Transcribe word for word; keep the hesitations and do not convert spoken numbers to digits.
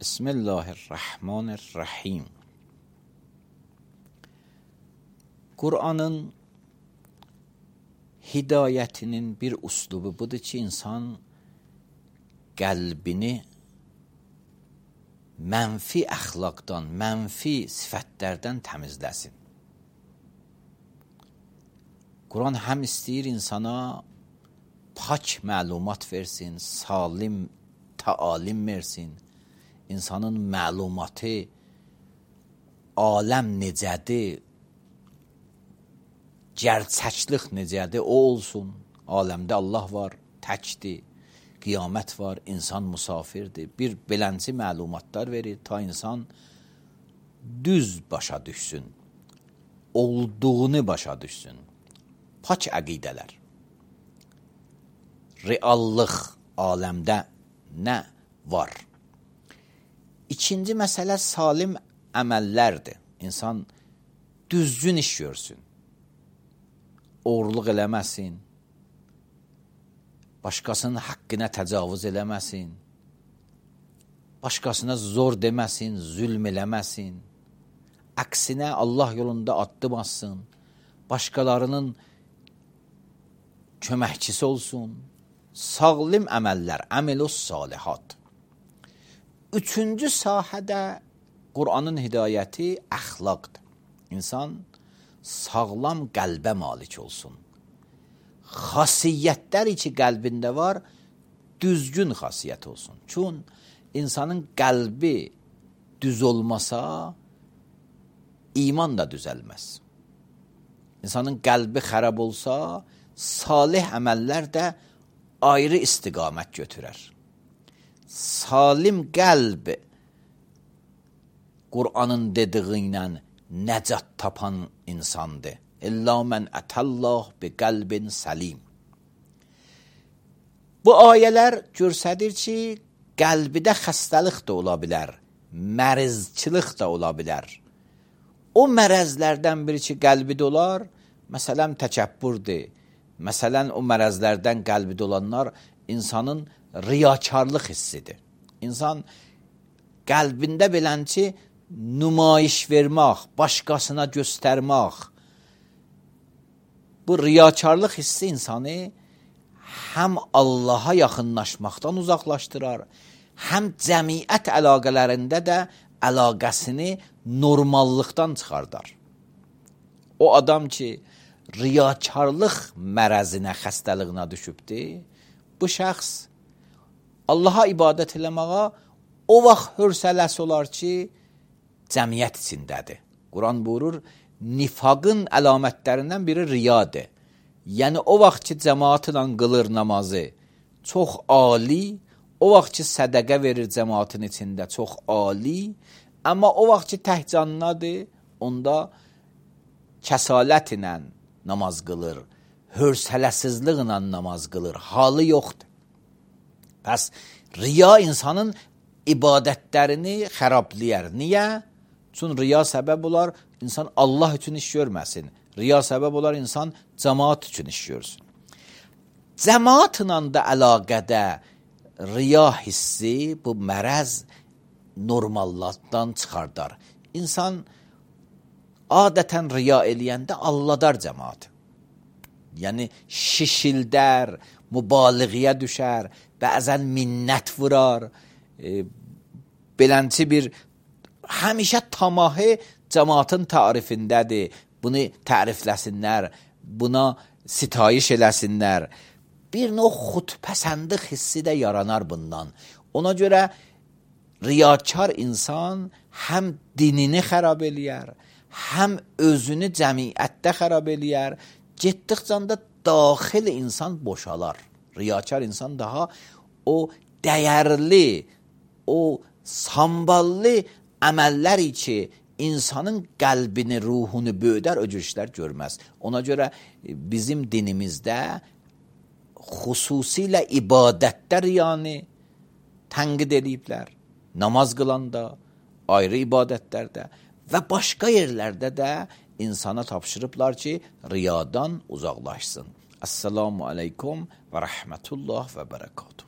Bismillahirrahmanirrahim. Kur'an'ın hidayətinin bir uslubu budur ki, insan qəlbini mənfi əxlaqdan, mənfi sifətlərdən təmizləsin. Kur'an həm istəyir insana pak məlumat versin, salim təalim versin, insanın məlumatı, aləm necədir, gerçəklik necədir, o olsun. Aləmdə Allah var, təkdir, qiyamət var, insan musafirdir. Bir belənci məlumatlar verir, ta insan düz başa düşsün, olduğunu başa düşsün. Pak əqidələr. Reallıq aləmdə nə var? İkinci məsələ salim əməllərdir. İnsan düzgün iş görsün. Oğurluq eləməsin. Başqasının haqqına təcavüz eləməsin. Başqasına zor deməsin, zülm eləməsin. Əksinə Allah yolunda addım atsın. Başqalarının köməkçisi olsun. Sağlim əməllər, əmelus salihat. Üçüncü sahədə Qur'anın hidayəti əxlaqdır. İnsan sağlam qəlbə malik olsun. Xasiyyətlər ki qəlbində var, düzgün xasiyyət olsun. Çün insanın qəlbi düz olmasa, iman da düzəlməz. İnsanın qəlbi xərab olsa, salih əməllər də ayrı istiqamət götürər. Salim qəlb Qur'anın dediği ilə nəcat tapan insandır. İlla mən ətəllah bi qəlbin səlim. Bu ayələr göstərir ki, qəlbidə xəstəlik də ola bilər, mərzçılıq da ola bilər. O mərəzlərdən biri ki, qəlbidə olar, məsələn, təkəbbürdür. Məsələn, o mərəzlərdən qəlbidə olanlar insanın riyakarlıq hissidir. İnsan qəlbində bilən ki, nümayiş vermək, başqasına göstərmək, bu riyakarlıq hissi insanı həm Allaha yaxınlaşmaqdan uzaqlaşdırar, həm cəmiyyət əlaqələrində də əlaqəsini normallıqdan çıxardar. O adam ki, riyakarlıq mərəzinə, xəstəliyinə düşübdir, bu şəxs Allaha ibadət eləməyə o vaxt hörsələsi olar ki, cəmiyyət içindədir. Quran buyurur, nifaqın əlamətlərindən biri riyadır. Yəni, o vaxt ki, cəmaatla qılır namazı çox ali, o vaxt ki, sədəqə verir cəmaatın içində çox ali, amma o vaxt ki, təhcannadır, onda kəsalət ilə namaz qılır, hörsələsizliklə namaz qılır, halı yoxdur. Bəs riya insanın ibadətlərini xərabləyər. Niyə? Çünki riya səbəb olar, insan Allah üçün iş görməsin. Riya səbəb olar, insan cəmaat üçün iş görsün. Cəmaatla da əlaqədə riya hissi, bu mərəz normallıqdan çıxardar. İnsan adətən riya eləyəndə alladar cəmaatı. Yəni, şişildər, mübaliğəyə düşər, bəzən minnət vurar, e, belənçi bir həmişə tamahı cəmaatın tarifindədir. Bunu tərifləsinlər, buna sitayiş eləsinlər. Bir növ xudpəsəndlik hissi də yaranar bundan. Ona görə riyakar insan həm dinini xərab eləyər, həm özünü cəmiyyətdə xərab eləyər, getdikcə də daxil insan boşalar. Riyakar insan daha o dəyərli, o samballı əməllər ki, insanın qəlbini, ruhunu böyüdər, o cür işlər görməz. Ona görə bizim dinimizdə xüsusilə ibadətdə riyanı tənqid ediblər. Namaz qılanda, ayrı ibadətlərdə və başqa yerlərdə də insana tapşırıblar ki, riyadan uzaqlaşsın. Esselamu aleykum və rəhmətullah və bərəkatuhu.